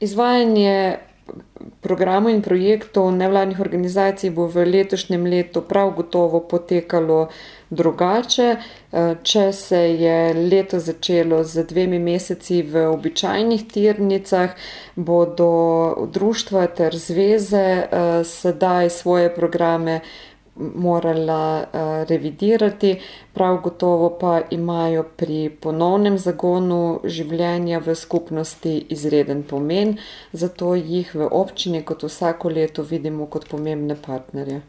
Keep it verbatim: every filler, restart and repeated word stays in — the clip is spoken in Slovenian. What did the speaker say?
Izvajanje programov in projektov nevladnih organizacij bo v letošnjem letu prav gotovo potekalo drugače. Če se je leto začelo z dvemi meseci v običajnih tirnicah, bodo društva ter zveze sedaj svoje programe morala revidirati, prav gotovo pa imajo pri ponovnem zagonu življenja v skupnosti izreden pomen, zato jih v občini kot vsako leto vidimo kot pomembne partnerje.